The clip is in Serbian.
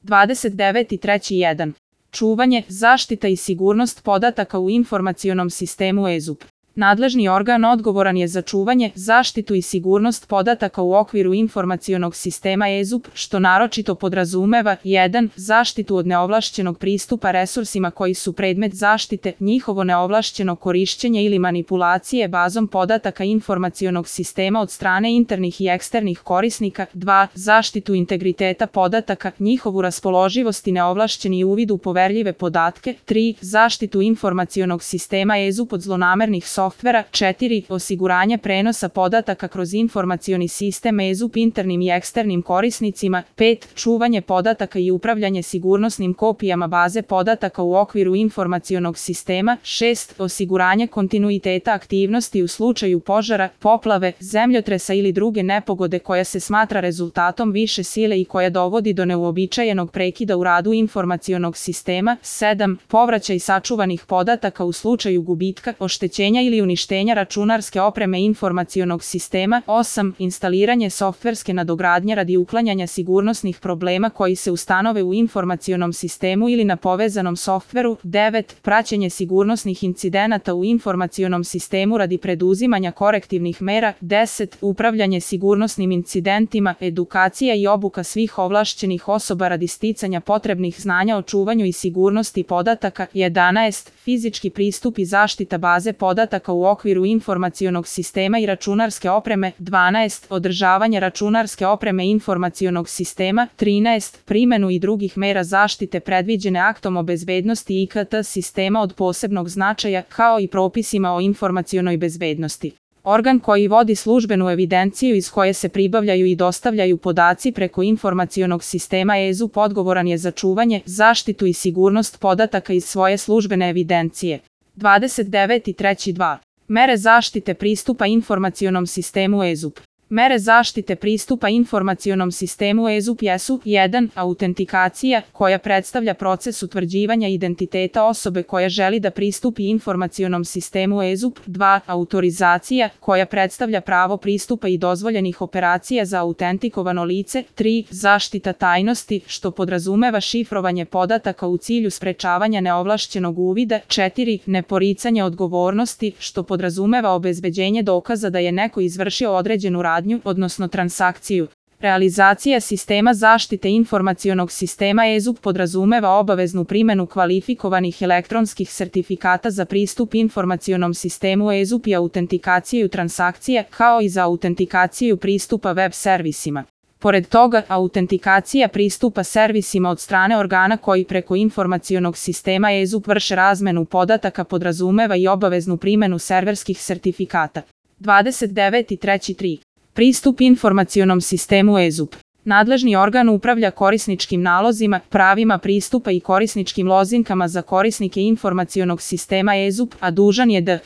29.3.1. Čuvanje, zaštita i sigurnost podataka u informacionom sistemu EZUP. Nadležni organ odgovoran je za čuvanje, zaštitu i sigurnost podataka u okviru informacionog sistema EZUP, što naročito podrazumeva 1. Zaštitu od neovlašćenog pristupa resursima koji su predmet zaštite, njihovo neovlašćeno korišćenje ili manipulacije bazom podataka informacionog sistema od strane internih i eksternih korisnika, 2. Zaštitu integriteta podataka, njihovu raspoloživost i neovlašćeni uvid u poverljive podatke, 3. Zaštitu informacionog sistema EZUP od zlonamernih softvera, 4. Osiguranje prenosa podataka kroz informacioni sistem EZUP internim i eksternim korisnicima, 5. Čuvanje podataka i upravljanje sigurnosnim kopijama baze podataka u okviru informacionog sistema, 6. Osiguranje kontinuiteta aktivnosti u slučaju požara, poplave, zemljotresa ili druge nepogode koja se smatra rezultatom više sile i koja dovodi do neuobičajenog prekida u radu informacionog sistema, 7. Povraćaj sačuvanih podataka u slučaju gubitka, oštećenja ili uništenja računarske opreme informacionog sistema, 8. Instaliranje softverske nadogradnje radi uklanjanja sigurnosnih problema koji se ustanove u informacionom sistemu ili na povezanom softveru, 9. Praćenje sigurnosnih incidenata u informacionom sistemu radi preduzimanja korektivnih mera, 10. Upravljanje sigurnosnim incidentima, edukacija i obuka svih ovlašćenih osoba radi sticanja potrebnih znanja o čuvanju i sigurnosti podataka, 11. Fizički pristup i zaštita baze podataka u okviru informacionog sistema i računarske opreme, 12. Održavanje računarske opreme informacionog sistema, 13. Primenu i drugih mera zaštite predviđene aktom o bezbednosti IKT sistema od posebnog značaja, kao i propisima o informacionoj bezbednosti. Organ koji vodi službenu evidenciju iz koje se pribavljaju i dostavljaju podaci preko informacionog sistema EZUP odgovoran je za čuvanje, zaštitu i sigurnost podataka iz svoje službene evidencije. 29.3.2. Mere zaštite pristupa informacionom sistemu EZUP. Mere zaštite pristupa informacionom sistemu EZUP jesu 1. Autentikacija, koja predstavlja proces utvrđivanja identiteta osobe koja želi da pristupi informacionom sistemu EZUP, 2. Autorizacija, koja predstavlja pravo pristupa i dozvoljenih operacija za autentikovano lice, 3. Zaštita tajnosti, što podrazumeva šifrovanje podataka u cilju sprečavanja neovlašćenog uvida, 4. Neporicanje odgovornosti, što podrazumeva obezbeđenje dokaza da je neko izvršio određenu radnju, odnosno transakciju. Realizacija sistema zaštite informacionog sistema EZUP podrazumeva obaveznu primenu kvalifikovanih elektronskih sertifikata za pristup informacionom sistemu EZUP i autentikaciju transakcija, kao i za autentikaciju pristupa web servisima. Pored toga, autentikacija pristupa servisima od strane organa koji preko informacionog sistema EZUP vrše razmenu podataka podrazumeva i obaveznu primenu serverskih sertifikata. 29.3.3. Pristup informacionom sistemu EZUP. Nadležni organ upravlja korisničkim nalozima, pravima pristupa i korisničkim lozinkama za korisnike informacionog sistema EZUP, a dužan je da